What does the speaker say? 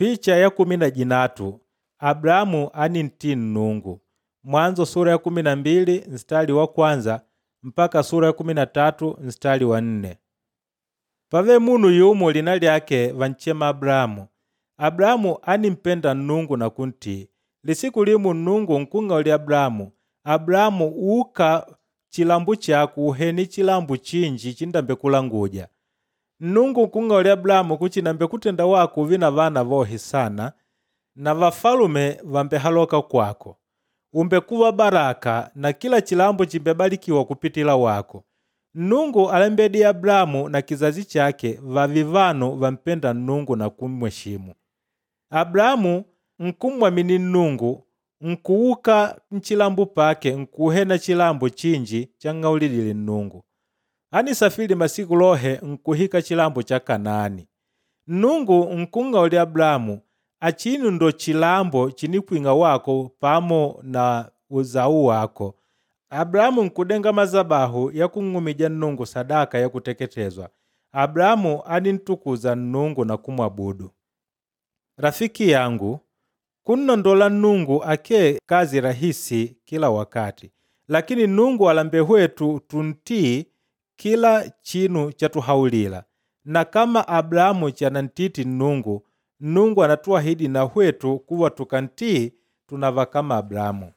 Picha ya 13 Abrahamu anintii Nnungu. Mwanzo sura ya 12 nstari wa kwanza mpaka sura ya 13 nstari wa 4. Pave munu yumo lina lyake vanchema Abrahamu. Abrahamu animpenda Nnungu na kuntii. Lisiku limu Nnungu nkung'aulila Abrahamu, Abrahamu uka chilambo chako uhene chilambo chinji chindambe kulanguja. Nnungu nkung'aulila Abrahamu kuchi nambe kutenda wako uve na vana vohe sana na vafalume vambehaloka kwako. Umbekuva baraka na kila chilambo chimbebalikiwa kupitila wako. Nnungu alembedi Abrahamu na kizazi chake vavi vanu vampenda Nnungu na kumweshimu. Abrahamu nkumwamini Nnungu nkuuka nchilambo pake nkuhena chilambo chinji chang'aulidile Nnungu. Anisafiri masiku lohe nkuhika chilambo cha Kanaani. Nnungu nkung'aulila Abrahamu achino ndo chilambo chinikwing'a wako pamo na uzau wako. Abrahamu nkudenga mazabahu ya kung'umija Nnungu sadaka ya kuteketezwa. Abrahamu anintukuza Nnungu na kumwabudu. Rafiki yangu, kunnondola Nnungu ake kazi rahisi kila wakati, lakini Nnungu alambe hwetu tuntii kila chinu chatuhaulila. Na kama Abrahamu chanantiti Nnungu, Nnungu anatuahidi na hwetu kuwa tukantii tunava kama Abrahamu.